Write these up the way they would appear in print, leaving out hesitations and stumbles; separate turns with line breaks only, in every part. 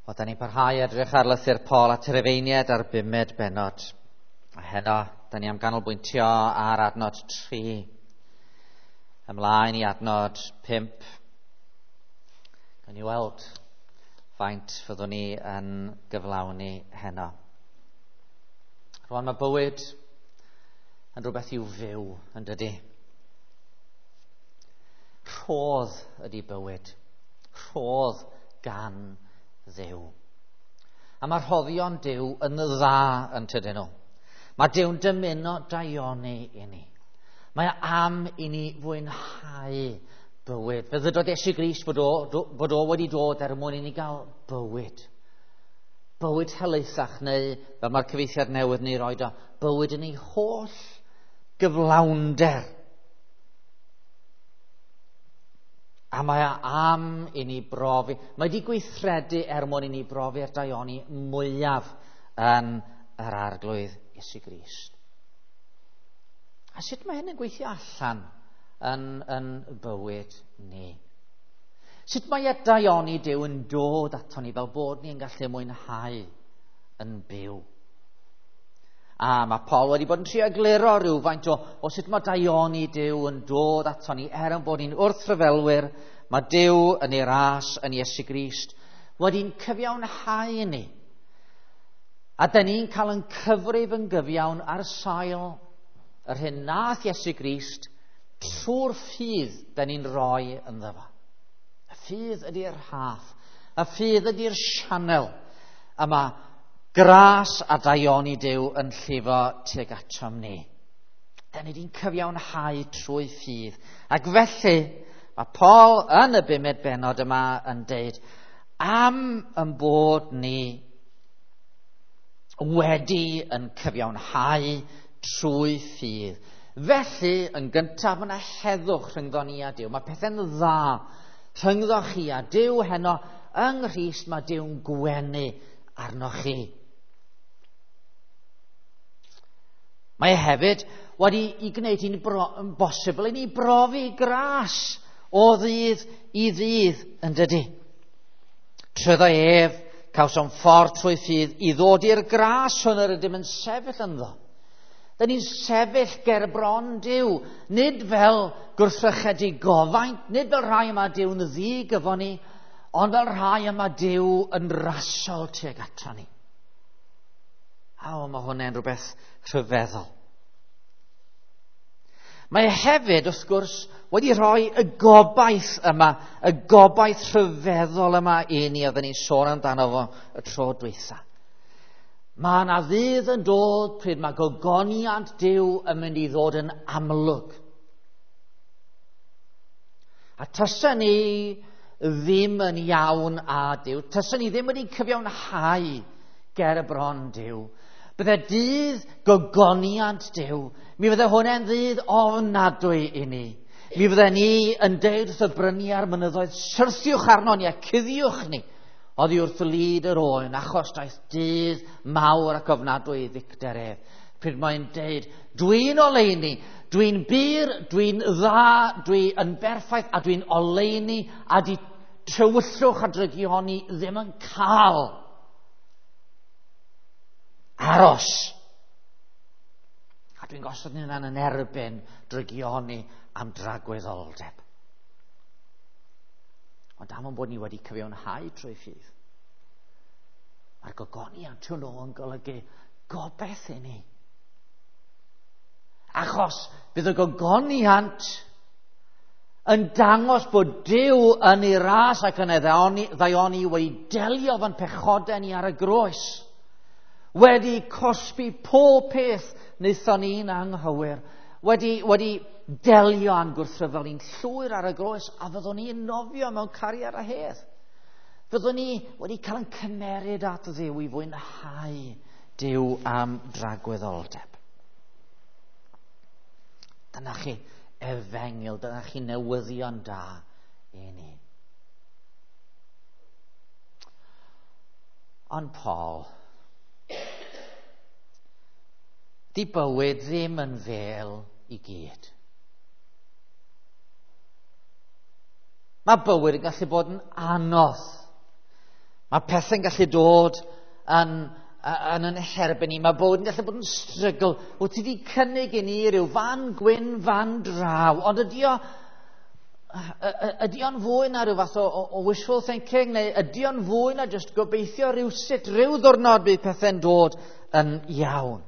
Wel, da ni'n parhau edrych ar lythyr Paul at yr Rufeiniaid ar bumed bennod. A heno, da ni am ganolbwyntio ar adnod 3. Ymlaen i adnod 5. Gawn ni weld faint fyddwn ni yn gyflawni heno. Rwan mae bywyd yn rhywbeth i'w fyw, yn dydy. Rhodd ydy bywyd. Rhodd gan Dduw. A mae rhoddion Duw yn dda yn tydyn nhw. Mae Duw'n dymuno daioni i ni. Mae am i ni fwynhau bywyd. Fe ddydodd Iesu Grist bod o wedi dod er mwyn i ni gael bywyd. Bywyd helaethach neu, fel mae'r cyfieithiad newydd ni roed o, bywyd yn ei holl gyflawnder. A mae am i ni brofi, mae wedi gweithredu er mwyn i ni brofi'r daioni mwyaf yn yr Arglwydd Iesu Grist. A sut mae hyn yn gweithio allan yn bywyd ni? Sut mae y daioni Duw yn dod ato ni fel bod ni'n gallu mwynhau yn byw? A mae Paul wedi bod yn trio egluro rhywfaint o sut mae daioni Duw yn dod ato ni er yn bod ni'n wrthryfelwyr. Mae Duw yn ei ras yn Iesu Grist wedi'n cyfiawnhau ni. A da ni'n cael yn cyfrif yn gyfiawn ar sail yr hyn nath Iesu Grist trwy'r ffydd da ni'n rhoi ynddo fo. Y ffydd ydy'r rhaff, y ffydd ydy'r sianel. A mae gras a daioni Duw yn llifo tuag atom ni. Da ni wedi'n cyfiawnhau trwy ffydd. Ac felly, mae Paul yn y bumed bennod yma yn deud, am yn bod ni wedi yn cyfiawnhau trwy ffydd. Felly, yn gyntaf, mae yna heddwch rhyngddo ni a Duw. Mae pethau'n dda rhyngddo chi a Duw heno yng Nghrist. Mae Duw'n gwenu arnoch chi. Mae hefyd wedi i gwneud hi'n bosibl i ni brofi gras o ddydd i ddydd, yn dydy. Trwyddo ef, cawsom ffordd trwy ffydd i ddod i'r gras hwn yr ydym yn sefyll ynddo. Da ni'n sefyll ger bron Duw, nid fel gwrthrychedig gofaint, nid fel rhai yma Duw'n ddig efo ni, ond fel rhai yma Duw yn rasol tuag ato ni. A o, mae hwnna'n rhywbeth rhyfeddol. Mae hefyd, wrth gwrs, wedi rhoi y gobaith yma, y gobaith rhyfeddol yma i ni, oedden ni'n sôn amdano fo y tro dwytha. Mae yna ddydd yn dod pryd mae gogoniant Duw yn mynd i ddod yn amlwg. A tysa ni ddim yn iawn â Duw, tysa ni ddim wedi cyfiawnhau ger y bron Duw, bydde dydd gogoniant Duw, mi fydde hwnna'n ddydd ofnadwy i ni. Mi fydde ni yn deud wrth y bryniau a'r mynyddoedd, syrthiwch arno ni a cuddiwch ni oddi wrth lid yr oen, achos daeth dydd mawr ac ofnadwy i ddicter ef. Pryd mae'n deud, dwi'n oleuni, dwi'n bur, dwi'n dda, dwi yn berffaith a dwi'n oleuni, a di tywyllwch a drygioni ddim yn cael aros. A dwi'n gosod hynna'n yn erbyn drygioni am dragwyddoldeb. Ond am bod ni wedi cyfiawnhau trwy ffydd, mae'r gogoniant hwnnw yn golygu gobaith i ni. Achos bydd y gogoniant yn dangos bod Duw yn ei ras ac yn ei ddaioni wedi delio fo'n pechodau ni ar y groes, wedi cosbi pob peth wnaethon ni'n anghywir, wedi delio â'n gwrthryfel ni'n llwyr ar y groes, a fyddwn ni'n nofio mewn cariad a hedd. Fyddwn ni wedi cael yn cymeryd at Dduw i fwynhau Duw am dragwyddoldeb. Dyna chi efengyl, dyna chi newyddion da i ni. Ond Paul, di bywyd ddim yn fel i gyd. Mae bywyd yn gallu bod yn anodd. Mae pethau'n gallu dod yn, yn yn herbyn ni. Mae bywyd yn gallu bod yn strygl. Wyt ti wedi cynnig i ni ryw fan gwyn, fan draw. Ond ydy o, ydy o'n fwy na rhyw fath o wishful thinking, neu ydy o'n fwy na jyst gobeithio rhywsut, rhyw ddwrnod bydd pethau'n dod yn iawn?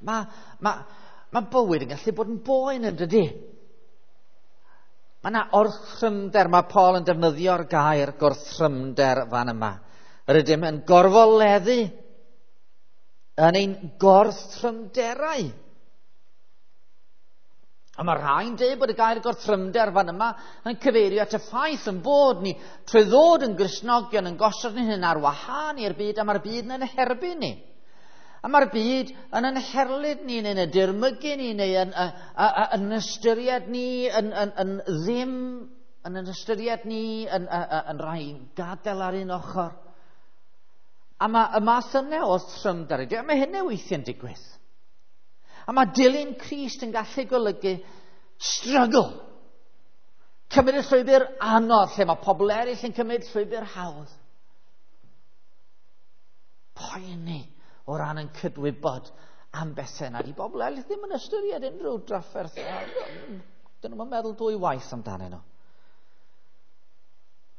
Mae bywyd yn gallu bod yn boen yn dydy? Mae yna orthrymder, mae Paul yn defnyddio'r gair gorthrymder fan yma. Rydym yn gorfoleddu yn ein gorthrymderau. A mae rhai'n dweud bod y gair gorthrymder fan yma yn cyfeirio at y ffaith yn bod ni trwy ddod yn Gristnogion yn gosod ni hyn ar wahân i'r byd, a mae'r byd yn herbyn ni. A mae'r byd yn yn herlid ni, neu'n y dirmygu ni, neu yn ystyried ni yn ddim, yn ystyried ni yn rhai gadael ar un ochr. A mae y math yna o thrymder, a mae hynny weithiau'n digwydd. A mae dilyn Crist yn gallu golygu struggle. Cymryd y llwybr anodd, lle mae pobl eraill yn cymryd llwybr hawdd. Poeni o ran yn cydwybod am bethau na di bobl eraill ddim yn ystyried unrhyw drafferth. Dyn nhw'n meddwl dwy waith amdanyn nhw.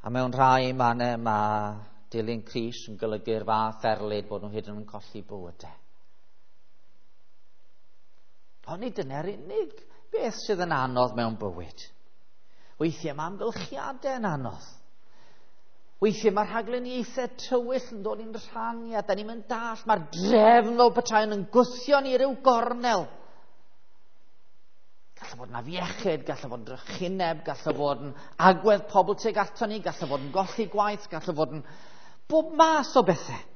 A mewn rhai mannau mae dilyn Crist yn golygu'r fath erlid bod nhw hyd yn oed yn colli bywydau. Ond nid dyna'r unig beth sydd yn anodd mewn bywyd. Weithiau mae amgylchiadau yn anodd. Weithiau mae rhagluniaethau tywyll yn dod i'n rhan i, a da ni'n mynd dall. Mae'r drefn fel petai yn gwthio ni ryw gornel. Gallai fod yn afiechyd, gallai fod yn drychineb, gallai fod yn agwedd pobl tuag ato ni, gallai fod yn golli gwaith, gallai fod yn bob math o bethau.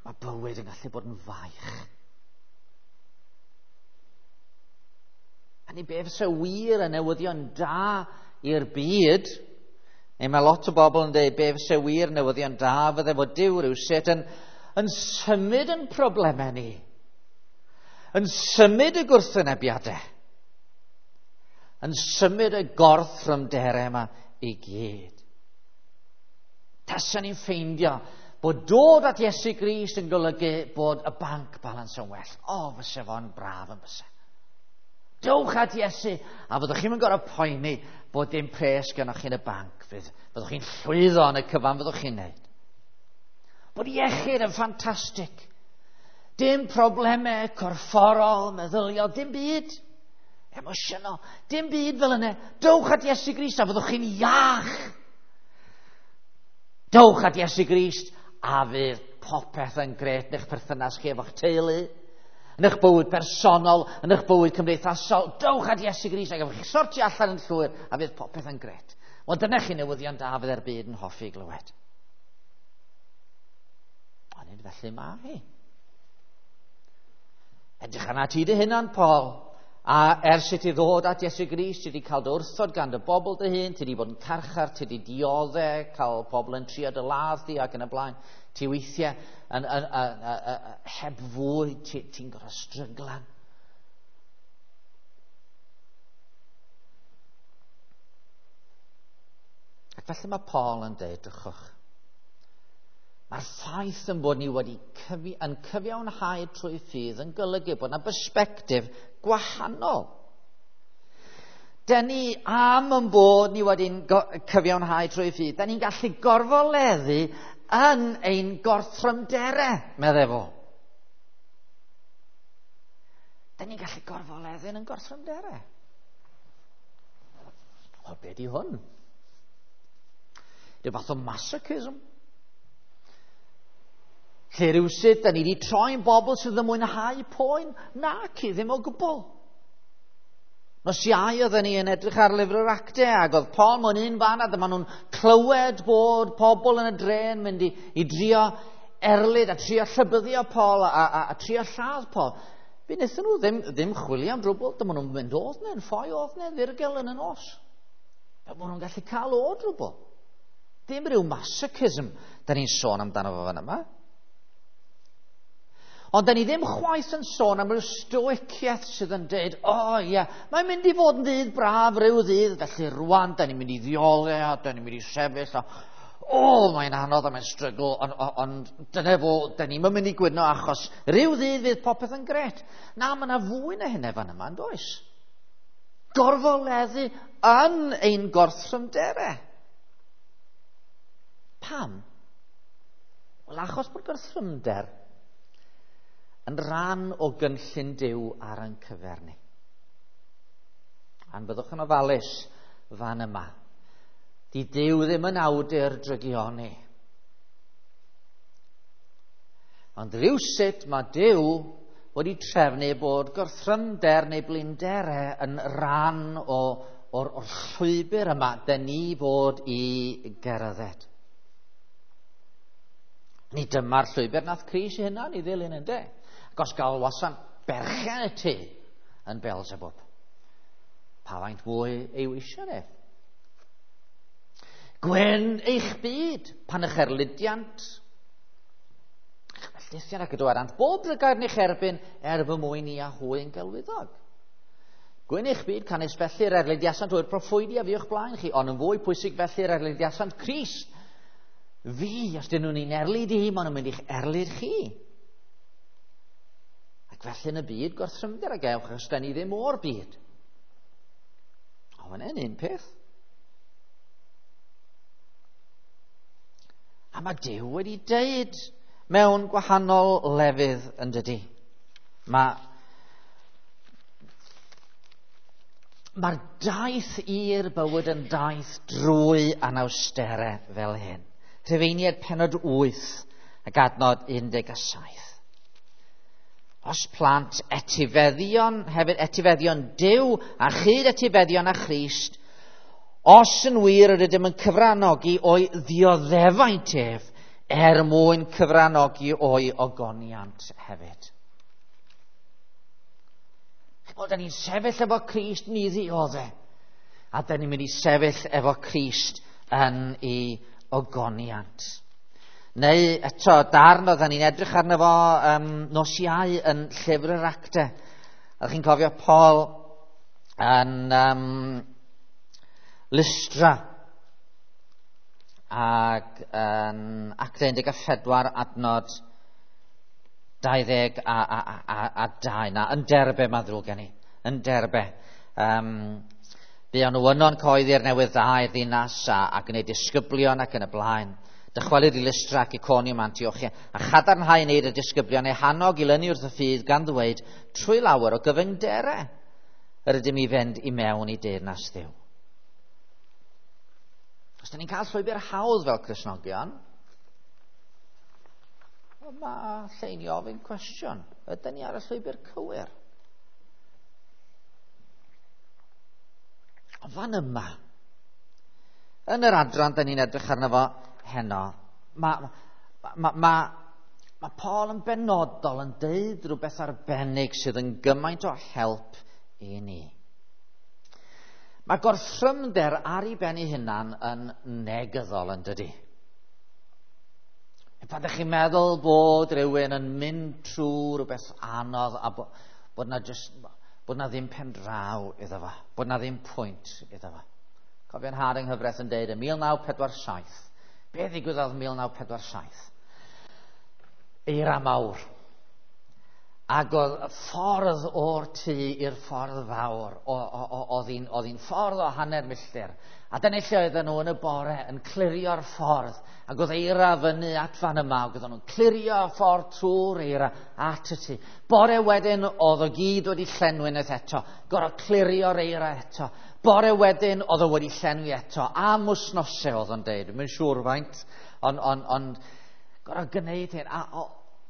Mae bywyd yn gallu bod yn faich. A ni be fysa wir yn newyddion da i'r byd, neu mae lot o bobl yn dweud be fysa wir newyddion da fydde fod Duw rywsut yn symud yn problemau ni, yn symud y gwrthwynebiadau, yn symud y gorthrymderau yma i gyd. Tasan ni'n ffeindio bod dod at Iesu Grist yn golygu bod y bank balance yn well. O, fysa fo'n braf yn fysa. Dewch at Iesu, a fyddwch chi'n gorfod poeni bod dim pres gynnwch chi yn y banc. Fyddwch chi'n llwyddo yn y cyfan fyddwch chi'n neud. Bod iechyd yn ffantastig. Dim problemau corfforol, meddyliol, dim byd. Emosiynol, dim byd fel yna. Dewch at Iesu Grist a fyddwch chi'n iach. Dewch at Iesu Grist a fydd popeth yn gret yn eich perthynas chi efo'ch teulu, yn eich bywyd personol, yn eich bywyd cymdeithasol. Dewch at Iesu Grist ac efo chi sortio allan yn llwyr a fydd popeth yn gret. Wel, dyna chi newyddion da fydd yr byd yn hoffi glywed. Ond nid felly mae hi. Edrych arna ti dy hunan, Paul. A ers i ti ddod at Iesu Grist, ti wedi cael dy wrthod gan dy bobl dy hun, ti wedi bod yn carchar, ti wedi dioddef, cael pobl yn trio dy ladd di ac yn y blaen. Ti weithiau heb fwyd, ti'n gorfod stryglan. Ac felly mae Paul yn dweud, drychwch, mae'r ffaith yn bod ni wedi yn cyfiawnhau trwy ffydd yn golygu bod yna bersbectif gwahanol. Den ni am yn bod ni wedi'n cyfiawnhau trwy ffydd, den ni'n gallu gorfoleddu yn ein gorthrymderau, meddai fo. Den ni'n gallu gorfoleddu yn ein gorthrymderau. Wel, be di hwn? Rhyw fath o masochism. Lle rhywsut, da ni wedi troi'n bobl sydd yn mwynhau poen? Naci, ddim o gwbl. Nos Iau oedden ni yn edrych ar lyfr yr Actau, ac oedd Paul mewn un fan, a dyma nhw'n clywed bod pobl yn y dre'n mynd i drio erlid a trio llybyddio Paul a trio lladd Paul. Fe wnaethon nhw ddim chwilio am drwbl, dyma nhw'n mynd oedd yn ffoi oedd yna, ddirgel yn y nos. Fe maen nhw'n gallu cael o drwbl. Dim rhyw masochism da ni'n sôn amdano fo fan yma. Ond da ni ddim chwaith yn sôn am ryw stoiciaeth sydd yn dweud, o oh, ie, yeah, mae'n mynd i fod yn ddydd braf rhyw ddydd, felly rwan, da ni'n mynd i ddiole a da ni'n mynd i sefyll a o, oh, mae'n anodd a mae'n strygl, ond on, dyna fo, da ni'n mynd i gwyno achos rhyw ddydd fydd popeth yn gret. Na, mae yna fwy na hynny fan yma, yn does? Gorfoleddu yn ein gorthrymderau. Pam? Wel, achos bod gorthrymder yn rhan o gynllun Duw ar ein cyfer ni. A'n byddwch yn ofalus fan yma. Di Duw ddim yn awdur drygioni. Ond rhywsut mae Duw wedi trefnu bod gorthrymder neu blinderau yn rhan o'r llwybr yma dyn ni fod i gerdded. Ni dyma'r llwybr nath Crist ei hunan i ddilyn, ynde? Ac os galwasan berchen y tŷ yn Beelzebub, pa faint fwy ei weision ef? Gwen eich byd pan eich erlidiant, eich melltithion ac y dywedant bob drygair yn eich erbyn er fy mwyn i a hwy yn gelwyddog. Gwyn eich byd canys felly'r erlidiasant o'r proffwydi a fi o'ch blaen chi, ond yn fwy pwysig felly'r erlidiasant Crist. Fi, os dyn nhw'n i'n erlid i, maen nhw'n mynd i'ch erlid chi. Ac felly yn y byd, gorthrymder a gewch, achos da ni ddim o'r byd. Ond mae'n un peth. A mae Duw wedi deud mewn gwahanol lefydd yn dydy. Mae'r daith i'r bywyd yn daith drwy anawsterau fel hyn. Rhufeiniaid pennod 8 ac adnod 17. Os plant etifeddion, hefyd etifeddion Duw a chyd etifeddion a Christ, os yn wir yr ydym yn cyfranogi o'i ddioddefaint ef, er mwyn cyfranogi o'i ogoniant hefyd. Chibod, da ni'n sefyll efo Crist ni ddiodde, a da ni'n mynd i sefyll efo Crist yn ei ogoniant. Neu eto, darn oedden ni'n edrych arno fo nos Iau yn llyfr yr Actau. Ydych chi'n cofio Paul yn Lystra ac yn Actau 14 adnod 20 a 2. Na, yn Derbe, mae'n ddrwg gen i. Yn Derbe. Buon nhw yno'n coeddi'r newydd dda i'r ddinas a gwneud disgyblion ac yn y blaen. Dychwelyd i Lystra ac Iconium Antiochia, a chadarnhau wneud y disgyblion eu hannog i lynu wrth y ffydd gan ddweud trwy lawer o gyfyngderau yr ydym i fynd i mewn i deyrnas Dduw. Os da ni'n cael llwybr hawdd fel Cristnogion, mae lle i ni ofyn cwestiwn. Ydyn ni ar y llwybr cywir? Ond fan yma, yn yr adran da ni'n edrych arno fo heno, mae Paul yn benodol yn deud rhywbeth arbennig sydd yn gymaint o help i ni. Mae gorthrymder ar ei ben ei hunan yn negyddol yn dydy. Pan ydych chi'n meddwl bod rhywun yn mynd trwy rhywbeth anodd a bod na ddim pen draw iddo fo, bod na ddim pwynt iddo fo. Cofio'n nhad yng nghyfraith yn deud yn 1947, be ddigwyddodd 1947? Eira mawr. Ac oedd ffordd o'r tŷ i'r ffordd fawr, oedd hi'n ffordd o hanner milltir. A dyna lle oedden nhw yn y bore yn clirio'r ffordd. Ac oedd eira fyny at fan yma, ac oedden nhw'n clirio ffordd trwy'r eira at y tŷ. Bore wedyn oedd o gyd wedi llenwi unwaith eto, gorfod clirio'r eira eto. Bore wedyn oedd o wedi llenwi eto, am wythnosau oedd o'n deud, dwi'n siŵr faint, ond gorfod gwneud hyn.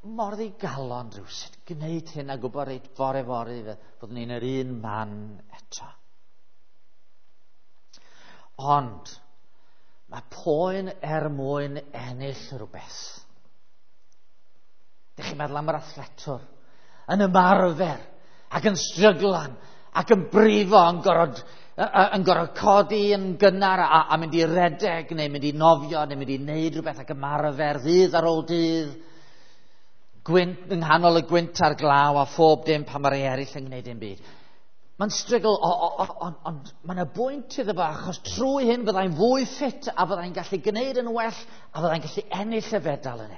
Mor ddigalon rhywsut, gwneud hyn a gwybod reit fore fory fyddwn ni'n yr un man eto. Ond mae poen er mwyn ennill rhywbeth. Dych chi'n meddwl am yr athletwr yn ymarfer ac yn stryglan ac yn brifo, yn gorfod codi yn gynnar a mynd i redeg neu mynd i nofio neu mynd i wneud rhywbeth ac ymarfer ddydd ar ôl dydd. Gwynt, yng nghanol y gwynt a'r glaw a phob dim pan mae rhai eraill yn gwneud dim byd. Mae'n strygl, ond mae yna bwynt iddo fo, achos trwy hyn fyddai'n fwy ffit a fyddai'n gallu gwneud yn well a fyddai'n gallu ennill y fedal yna.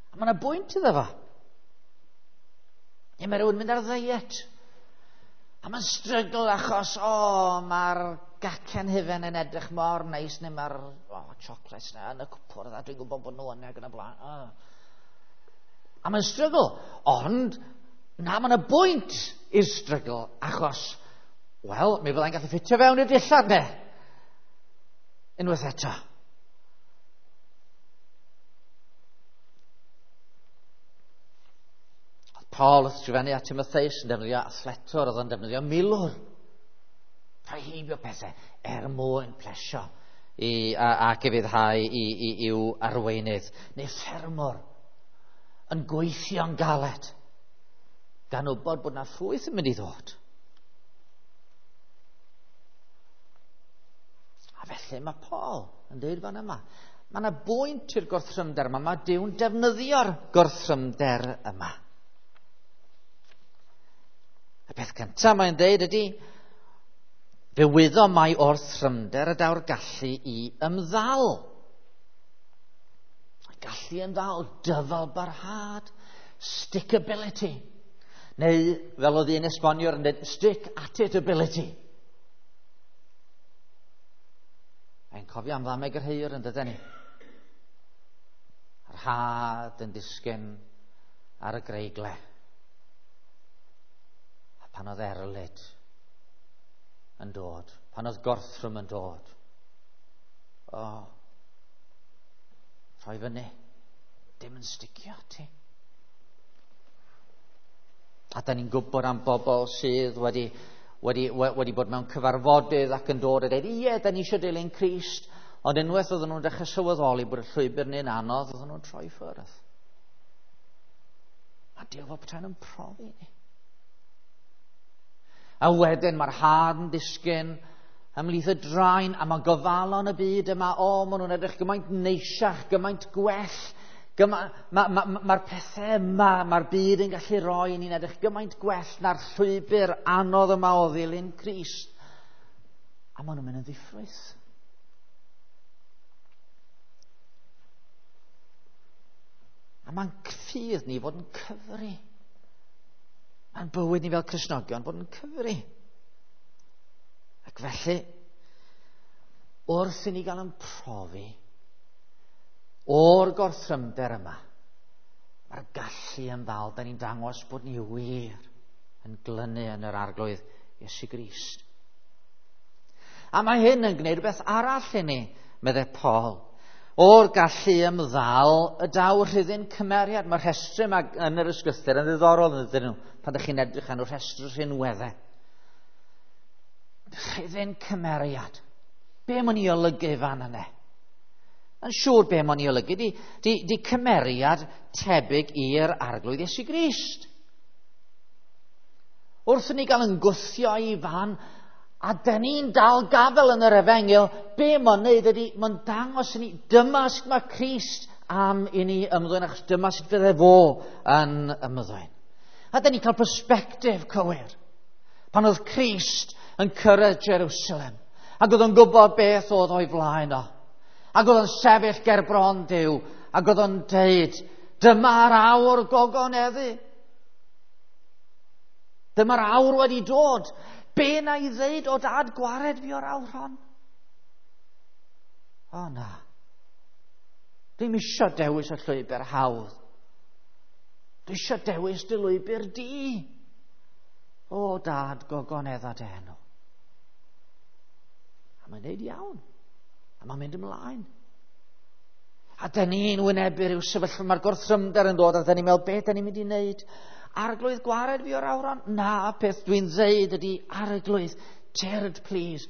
A mae yna bwynt iddo fo. Neu mae rhywun mynd ar ddiet. A mae'n strygl achos, mae'r gacen hufen yn edrych mor neis, neu mae'r chocolates na yn y cwpwrdd, a dwi'n gwybod bod nhw yna ac yn y blaen. Oh. A mae'n strygl, ond na, mae yna bwynt i'r strygl, achos, wel, mi fyddai'n gallu ffitio fewn i'r dillad ne. Unwaith eto. Paul wrth sgrifennu at Timotheus yn defnyddio athletwr, oedd o'n defnyddio milwr. Rhoi heibio pethau er mwyn plesio ac ufuddhau i'w arweinydd. Neu ffermwr yn gweithio'n galed, gan wybod bod na ffrwyth yn mynd i ddod. A felly mae Paul yn dweud fan yma, mae yna bwynt i'r gorthrymder yma, mae Duw'n defnyddio'r gorthrymder yma. Y peth cyntaf mae'n dweud ydy, fe wyddom mai o'r thrymder y daw'r gallu i ymddal. Gallu ymddal, dyfal barhad, stickability. Neu, fel oedd un esboniwr yn dweud, stick at it ability. Mae'n cofio am ddameg yr heiwr yn dydyn ni. A'r had yn disgyn ar y greigle. A pan oedd erlid yn dod, pan oedd gorthrwm yn dod, rhoi fyny, dim yn sticio ti. A da ni'n gwybod am bobl sydd wedi bod mewn cyfarfodydd ac yn dod a dweud, ie, da ni eisiau dilyn Crist, ond unwaith oedden nhw'n dechrau sylweddoli bod y llwybr ni'n anodd, oedden nhw'n troi ffwrdd. A Duw fel petai nhw'n profi ni. A wedyn mae'r had yn disgyn ymhlith y draen, a mae gofalon y byd yma, maen nhw'n edrych gymaint neisiach, gymaint gwell. Mae'r pethau yma, mae'r byd yn gallu rhoi ni'n edrych gymaint gwell na'r llwybr anodd yma o ddilyn Crist. A maen nhw'n mynd yn ddiffrwyth. A mae'n ffydd ni fod yn cyfri. Mae'n bywyd ni fel Cristnogion fod yn cyfri. Ac felly, wrth i ni gael yn profi o'r gorthrymder yma, mae'r gallu yn ddal, da ni'n dangos bod ni wir yn glynu yn yr Arglwydd Iesu Grist. A mae hyn yn gwneud rhywbeth arall i ni, meddai Paul. O'r gallu ymddal y daw rhyddin cymeriad. Mae'r rhestr yma yn yr ysgrythur yn ddiddorol yn ydyn nhw, pan ydych chi'n edrych arno rhestr rhinweddau. Rhyddin cymeriad. Be mae'n ei olygu fan yna? Yn siŵr be mae'n ei olygu di cymeriad tebyg i'r Arglwydd Iesu Grist. Wrth i ni gael yn gwthio i fan, a dyn ni'n dal gafel yn yr efengyl, be mae'n neud ydy, mae'n dangos i ni, dyma sut mae Crist am i ni ymddwyn, achos dyma sut fydde fo yn ymddwyn. A dyn ni'n cael perspectif cywir. Pan oedd Crist yn cyrraedd Jerusalem, ac oedd o'n gwybod beth oedd o'i flaen o, ac oedd o'n sefyll ger bron Duw, ac oedd o'n deud, dyma'r awr gogoneddu. Dyma'r awr wedi dod. Be na i ddeud o dad gwared fi o'r awr hon? O na. Dwi'm isio dewis y llwybr hawdd. Dwi isio dewis dy lwybr di. O dad, gogonedda dy enw. A mae'n neud iawn. A mae'n mynd ymlaen. A dyn ni'n wynebu rhyw sefyllfa, mae'r gorthrymder yn dod, a dyn ni'n meddwl, be dyn ni'n mynd i wneud? Arglwydd gwared fi o'r awron? Na, peth dwi'n ddeud ydy, Arglwydd, tyrd please,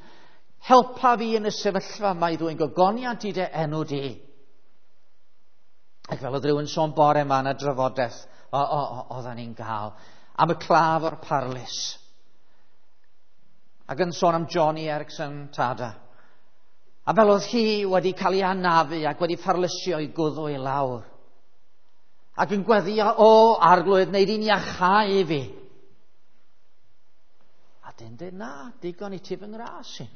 helpa fi yn y sefyllfa yma i ddwyn gogoniant i dy enw di. Ac fel oedd rhywun sôn bore yma yn y drafodaeth oedden ni'n gael, am y claf o'r parlys. Ac yn sôn am Joni Eareckson Tada. A fel oedd hi wedi cael ei anafu ac wedi pharlysio i gwddw i lawr. Ac yn gweddio, o arglwydd, wneud i'n iachau i fi. A dyn dweud, na, digon i ti fy ngras i.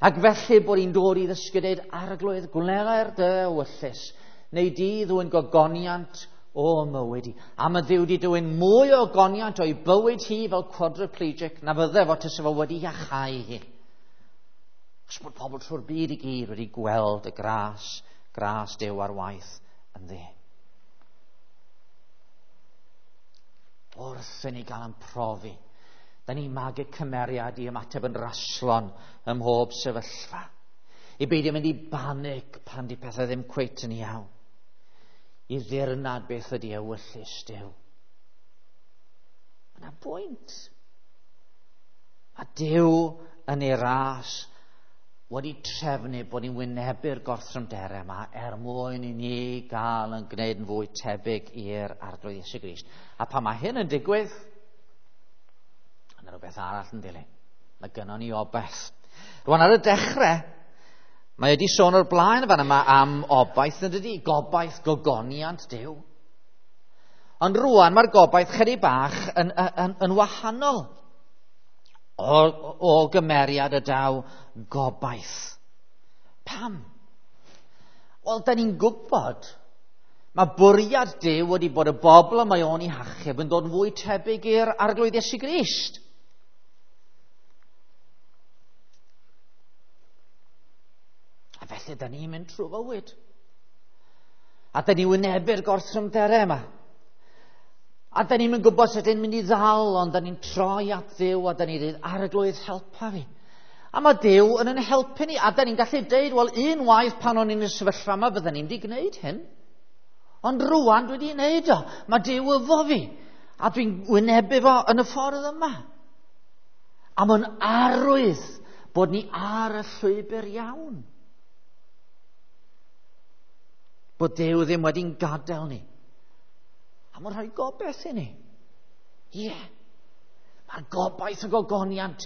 Ac felly bod hi'n dod i ddysgu dweud, arglwydd, gwneler dy ewyllys, neu di ddwy'n gogoniant o mywyd i. A mae Dduw wedi dwyn mwy o ogoniant o'i bywyd hi fel quadriplegic na fydde fo tysa fo wedi iachau hi. Achos bod pobl trwy'r byd i gyd wedi gweld y gras, gras Duw ar waith ynddi. Wrth i ni gael yn profi, da ni'n magu cymeriad i ymateb yn raslon ym mhob sefyllfa. I beidio mynd i banig pan di pethau ddim cweit yn iawn. I ddirnad beth ydy ewyllys Duw. Mae yna bwynt. A Duw yn ei ras wedi trefnu bod ni'n wynebu'r gorthrymderau yma er mwyn i ni gael yn gwneud yn fwy tebyg i'r Arglwydd Iesu Grist. A pan mae hyn yn digwydd, yna rhywbeth arall yn dilyn. Mae gynnon ni obaith. Rwan ar y dechrau, mae wedi sôn o'r blaen fan yma am obaith, yn dydy? Gobaith gogoniant Duw. Ond rwan mae'r gobaith chydig bach yn, yn, yn wahanol. O, o gymeriad y daw gobaith. Pam? Wel, da ni'n gwybod mae bwriad Duw wedi bod y bobl y mae o'n ei hachub yn dod yn fwy tebyg i'r Arglwydd Iesu Grist. A felly, da ni'n mynd trwy fywyd. A da ni'n wynebu'r gorthrymderau yma. A da ni'n gwybod sut ni'n mynd i ddal, ond da ni'n troi at Dduw a da ni'n dweud, Arglwydd, helpa fi. A mae Duw yn yn helpu ni, a da ni'n gallu deud, wel, unwaith pan o'n i'n y sefyllfa yma, bydden ni'n wedi gwneud hyn. Ond rwan dwi wedi gwneud o. Mae Duw efo fi, a dwi'n wynebu fo yn y ffordd yma. A mae'n arwydd bod ni ar y llwybr iawn. Bod Duw ddim wedi'n gadael ni. A mae'n rhoi gobaith i ni. Ie. Yeah. Mae'r gobaith y gogoniant.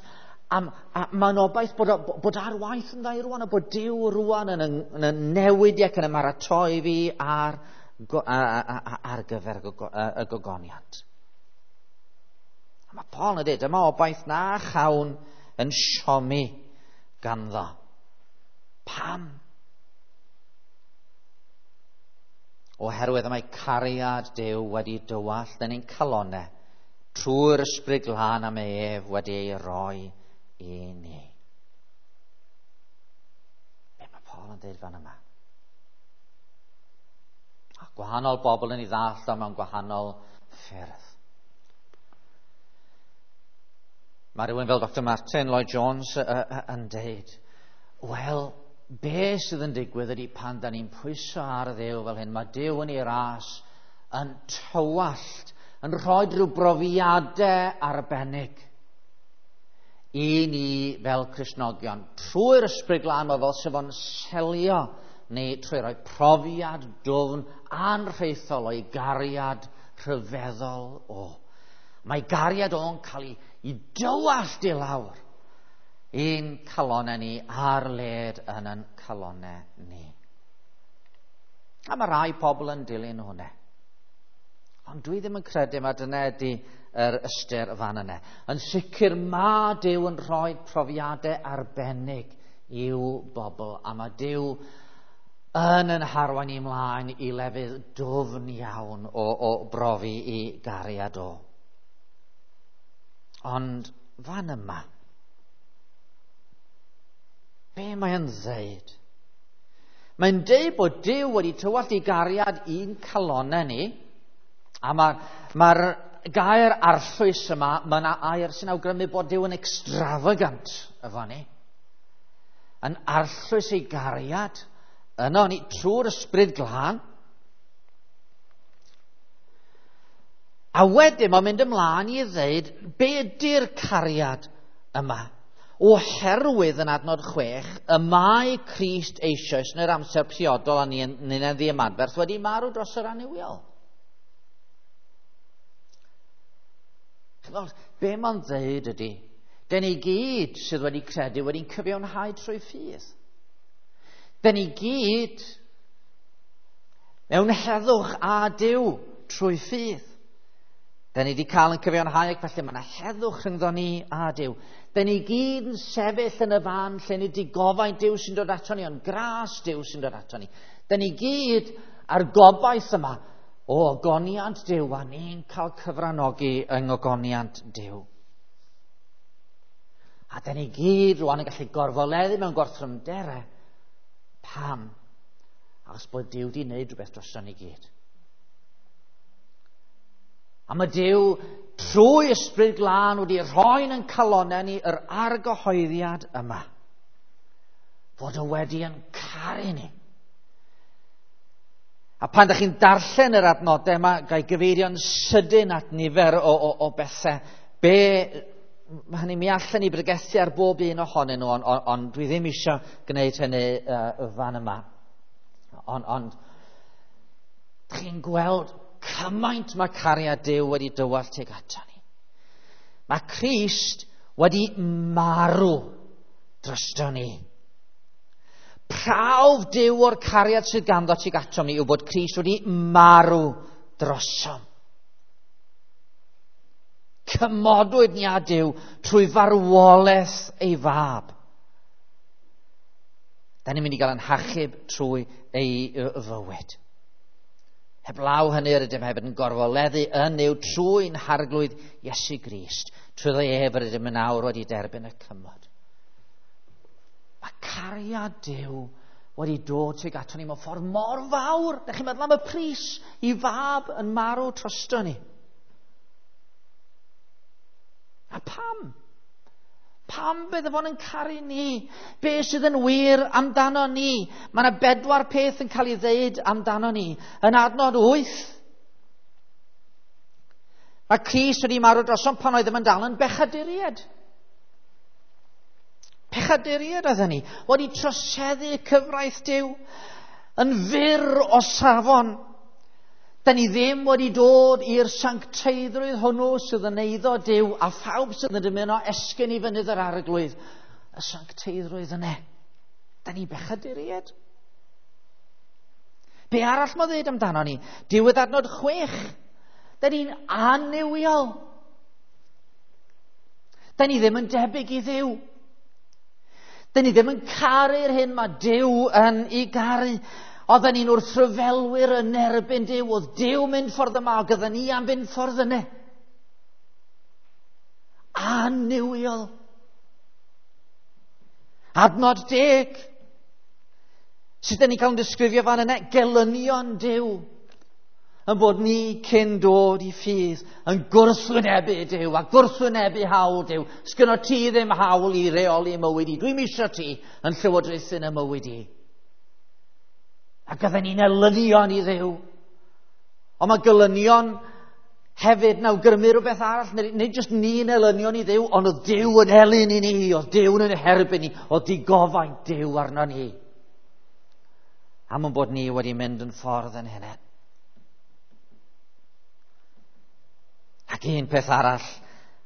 A, a mae'n obaith bod, bod ar waith yn dda rwan, a bod Duw rwan yn, yn, yn newid ac yn ymaratoi fi ar, ar gyfer y gogoniant. A mae Paul yn dweud, dyma obaith na chawn yn siomi ganddo. Pam? Oherwydd y mae cariad Duw wedi dywallt yn ein calonau trwy'r ysbryd glân am ef wedi ei roi i ni. Be mae Paul yn dweud fan yma? A gwahanol bobl yn ei ddallt o mewn gwahanol ffyrdd. Mae rhywun fel Dr Martin Lloyd Jones yn deud, wel, be sydd yn digwydd ydy pan da ni'n pwyso ar Dduw fel hyn, mae Duw yn ei ras yn tywallt, yn rhoi rhyw brofiadau arbennig i ni fel Cristnogion. Trwy'r ysbryd glân mae fel sef o'n selio neu trwy roi profiad dwfn anrhaethol o'i gariad rhyfeddol o. Mae gariad o'n cael ei, ei dywallt i lawr i'n calonau ni ar led yn yn calonau ni. A mae rai pobl yn dilyn hwnna. Ond dwi ddim yn credu mae dyna ydy yr ystyr fan yna. Yn sicr mae Duw yn rhoi profiadau arbennig i'w bobl, a mae Duw yn yn harwain i mlaen i lefydd dwfn iawn o, o brofi i gariad o. Ond fan yma, be mae'n ddeud? Mae'n deud bod Duw wedi tywallt i gariad i'n calonau ni, a mae'r mae gair arllwys yma, mae yna air sy'n awgrymu bod Duw yn extravagant efo ni. Yn arllwys ei gariad yno ni trwy'r ysbryd glân. A wedyn mae'n mynd ymlaen i ddeud, be ydy'r cariad yma? Oherwydd yn adnod 6, y mae Crist eisoes yn yr amser priodol a ni'n ni ddiymadferth wedi marw dros yr annuwiol. Chymod, be mae'n dweud ydy, dyn ni gyd sydd wedi credu wedi'n cyfiawnhau trwy ffydd. Dyn ni gyd Mewn heddwch a Duw trwy ffydd. Da ni wedi cael yn cyfiawnhau ac felly mae yna heddwch rhyngddo ni a Duw. Da ni gyd yn sefyll yn y fan lle ni wedi gofaint Duw sy'n dod ato ni, ond gras Duw sy'n dod ato ni. Da ni gyd ar gobaith yma o ogoniant Duw a ni'n cael cyfranogi yng ngogoniant Duw. A da ni gyd rwan yn gallu gorfoleddu mewn gorthrymderau. Pam? Achos bod Duw wedi wneud rhywbeth droson ni gyd. A mae Duw trwy Ysbryd Glân wedi rhoi'n yn calonau ni yr argyhoeddiad yma. Fod o wedi yn caru ni. A pan ydych chi'n darllen yr adnodau yma, gai gyfeirio'n sydyn at nifer o bethau. Be, mae hynny mi allan ni bregethu ar bob un ohonyn nhw, ond dwi ddim eisiau gwneud hynny fan yma. Ond chi'n gweld cymaint mae cariad Duw wedi dywallt tuag ato ni. Mae Crist wedi marw drosto ni. Prawf Duw o'r cariad sydd ganddo tuag ato ni yw bod Crist wedi marw drosom. Cymodwyd ni â Duw trwy farwolaeth ei fab. Da ni'n mynd i gael yn hachub trwy ei fywyd. Heblaw hynny yr ydym hefyd yn gorfoleddu yn Nuw trwy'n harglwydd Iesu Grist. Trwy ef yr ydym yn awr wedi derbyn y cymod. Mae cariad Duw wedi dod tuag ato ni mewn ffordd mor fawr. Dych chi'n meddwl am y pris i fab yn marw drosto ni. A pam? Pam bydde fo'n yn caru ni? Be sydd yn wir amdano ni? Mae yna 4 peth yn cael ei ddeud amdano ni. Yn adnod 8, mae Crist wedi marw drosom pan oedd yn dal yn bechaduriaid. Pechaduriaid oedden ni, wedi troseddu cyfraith Duw, yn fyr o safon. Da ni ddim wedi dod i'r sancteiddrwydd hwnnw sydd yn eiddo Duw a phawb sydd yn dymuno esgyn i fynydd yr arglwydd. Y sancteiddrwydd yna. Da ni bechaduriaid. Be arall mae ddeud amdano ni? Diwedd adnod 6. Da ni'n annuwiol. Da ni ddim yn debyg i Dduw. Da ni ddim yn caru'r hyn mae Duw yn ei garu. Oedden ni'n wrthryfelwyr yn erbyn Duw. Oedd Duw mynd ffordd yma, ac oedden ni am fynd ffordd yna. Annuwiol. Adnod 10. Sut ydyn ni'n cael yn disgrifio fan yna? Gelynion Duw. Yn bod ni cyn dod i ffydd yn gwrthwynebu Duw a gwrthwynebu hawl Duw. Sgynno ti ddim hawl i reoli mywyd i. Dwi'm isio ti yn llywodraethu yn y mywyd i. Ac oedden ni'n elynion i Dduw. Ond mae gelynion hefyd yn awgrymu rhywbeth arall. Nid jyst ni'n elynion i Dduw, ond oedd Duw yn elyn i ni, oedd Duw yn herbyn ni, oedd digofaint Duw arno ni. Am yn bod ni wedi mynd yn ffordd yn hynny. Ac un peth arall,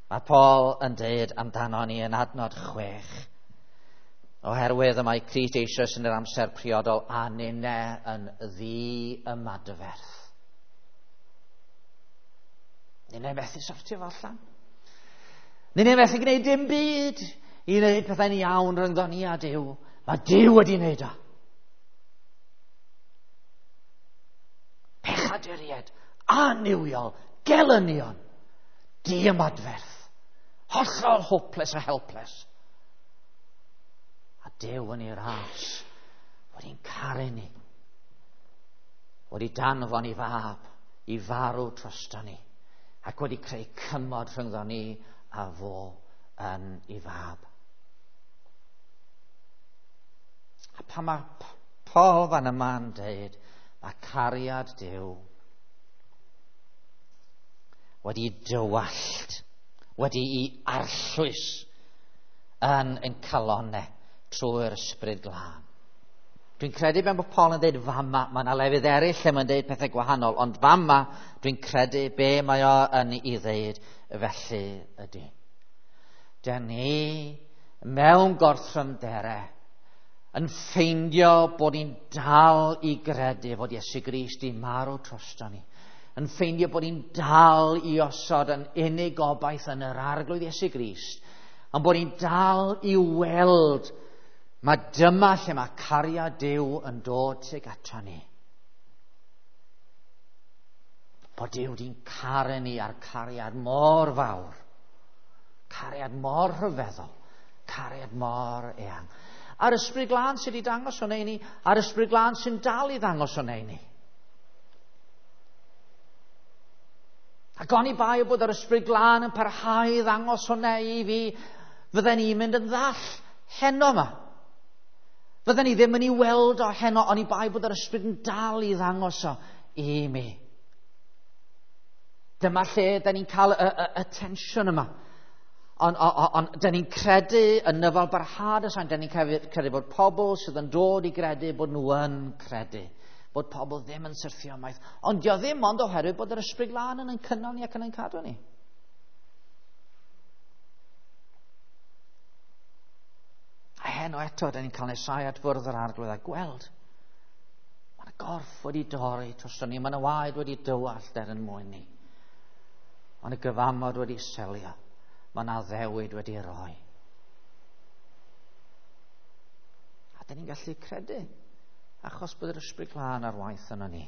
mae Paul yn dweud amdano ni yn adnod 6. Oherwydd y mae Crist eisoes yn yr amser priodol a ninne yn ddi-ymadferth. Ninne methu sortio fo allan. Ninne methu gwneud dim byd i wneud pethau'n iawn rhyngddo ni a Duw. Mae Duw wedi wneud o. Pechaduriaid, annuwiol, gelynion, diymadferth, hollol hopeless a helpless. A Duw yn ei ras wedi'n caru ni, wedi danfon ei fab i farw drosto ni, ac wedi creu cymod rhyngddo ni a fo yn ei fab. A pan mae Paul fan yma'n dweud, mae cariad Duw wedi dywallt, wedi i arllwys yn calonau trwy'r Ysbryd Glân. Dwi'n credu ben bod Paul yn dweud fama, mae yna lefydd eraill lle mae'n dweud pethau gwahanol, ond fama dwi'n credu be mae o yn ei ddeud felly ydy. Dyn ni mewn gorthrymderau Yn ffeindio bod ni'n dal i gredu fod Iesu Grist i marw drosto ni. Yn ffeindio bod ni'n dal i osod yn unig gobaith yn yr Arglwydd Iesu Grist. Ond bod ni'n dal i weld mae dyma lle mae cariad Duw yn dod tuag ato ni. Bod Duw di'n caru ni a'r cariad mor fawr. Cariad mor rhyfeddol. Cariad mor eang. A'r Ysbryd Glân sydd wedi dangos hwnna i ni, a'r Ysbryd Glân sy'n dal i ddangos hwnna i ni. Ac oni bai bod yr Ysbryd Glân yn parhau i ddangos hwnna i fi, fydden ni'n mynd yn ddall heno yma. Fydden ni ddim yn ei weld o heno, oni bai bod yr Ysbryd yn dal i ddangos o i mi. Dyma lle da ni'n cael y tensiwn yma. Ond da ni'n credu yn nyfal barhad y saint, da ni'n credu bod pobl sydd yn dod i gredu bod nhw yn credu. Bod pobl ddim yn syrthio ymaith. Ond dio ddim ond oherwydd bod yr Ysbryd Glân yn ein cynnal ni ac yn ein cadw ni. A heno eto, da ni'n cael nesau at fwrdd yr Arglwydd a gweld. Mae yna gorff wedi dorri drosto ni, mae yna waed wedi dywallt er yn mwyn ni. Mae yna gyfamod wedi selio. Mae yna addewid wedi rhoi. A dyn ni'n gallu credu, achos bod yr Ysbryd Glân ar waith yno ni.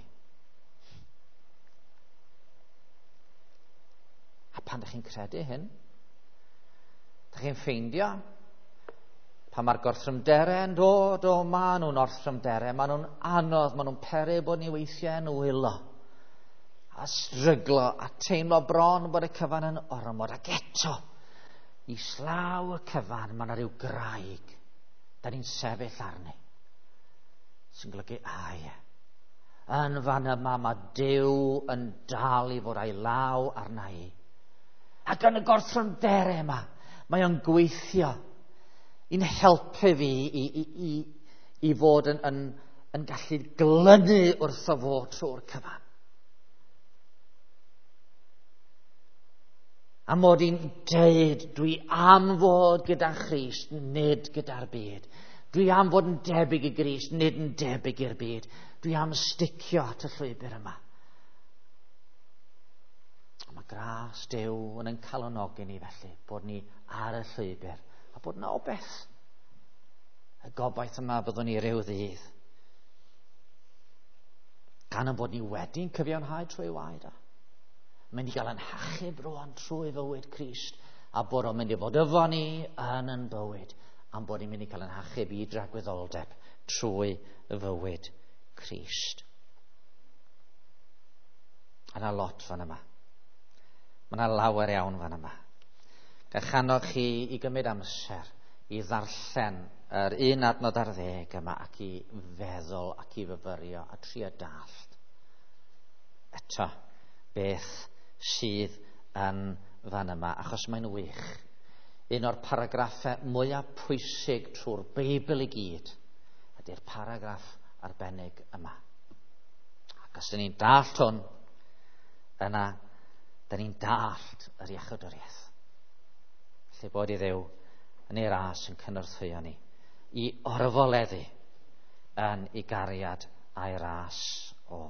A pan ydych chi'n credu hyn, ydych chi'n ffeindio, pan mae'r gorthrymderau yn dod, o, maen nhw'n orthrymderau, maen nhw'n anodd, maen nhw'n peri bod ni weithiau yn wylo, a stryglo, a teimlo bron bod y cyfan yn ormod, ac eto, islaw y cyfan, mae yna rhyw graig, da ni'n sefyll arni, sy'n golygu, a ie, yn fan yma mae Duw yn dal i fod a'i law arna i. Ac yn y gorthrymderau yma, mae o'n gweithio i'n helpu fi i fod yn gallu glynu wrtho fo trwy'r cyfan. A mod i'n deud, dwi am fod gyda Christ, nid gyda'r byd. Dwi am fod yn debyg i Grist, nid yn debyg i'r byd. Dwi am sticio at y llwybr yma. A mae gras Duw yn ein calonogi ni felly, bod ni ar y llwybr, a bod yna obaith. Y gobaith yma byddwn ni ryw ddydd. Gan ein bod ni wedi'n cyfiawnhau trwy waed o. Mynd i gael yn hachub rwan trwy fywyd Crist, a bod o'n mynd i fod efo ni yn yn bywyd, a'n bod ni'n mynd i cael yn hachub i dragwyddoldeb trwy fywyd Crist. A yna lot fan yma. Mae yna lawer iawn fan yma. Gallwch annog chi i gymryd amser i ddarllen yr 1 adnod ar 10 yma ac i feddwl ac i fyfyrio a trio dallt eto beth sydd yn fan yma, achos mae'n wych. Un o'r paragraffau mwyaf pwysig trwy'r Beibl i gyd ydy'r paragraff arbennig yma. Ac os dyn ni'n dallt hwn, yna dyn ni'n dallt yr iachawdwriaeth. Felly bod i Dduw yn ei ras yn cynorthwyo ni i orfoleddu yn ei gariad a'i ras o.